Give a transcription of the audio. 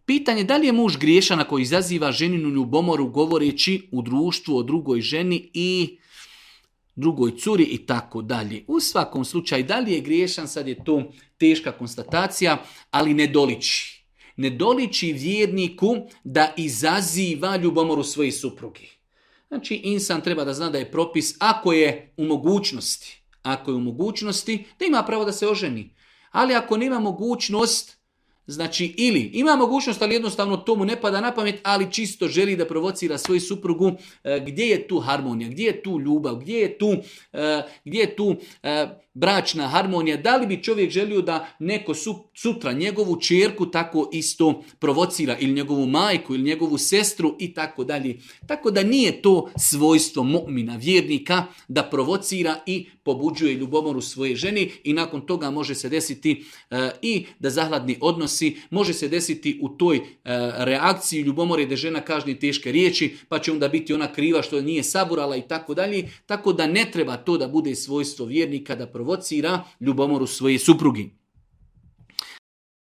Pitanje da li je muž griješan ako izaziva ženinu ljubomoru govoreći u društvu o drugoj ženi i drugoj curi i tako dalje. U svakom slučaju, da li je griješan, sad je to teška konstatacija, ali ne doliči. Ne doliči vjerniku da izaziva ljubomoru svoje supruge. Znači, insan treba da zna da je propis ako je u mogućnosti, da ima pravo da se oženi. Ali ako nema mogućnost, znači ili ima mogućnost, ali jednostavno to mu ne pada na pamet, ali čisto želi da provocira svoju suprugu, gdje je tu harmonija, gdje je tu ljubav, gdje je tu bračna harmonija, da li bi čovjek želio da neko sutra njegovu ćerku tako isto provocira, ili njegovu majku, ili njegovu sestru i tako dalje. Tako da nije to svojstvo mu'mina, vjernika, da provocira i pobuđuje ljubomoru svoje ženi i nakon toga može se desiti i da zahladni odnosi, može se desiti u toj reakciji ljubomore da žena kaže teške riječi, pa će onda biti ona kriva što nije saburala i tako dalje. Tako da ne treba to da bude svojstvo vjernika da provocira ljubomoru svoje suprugi.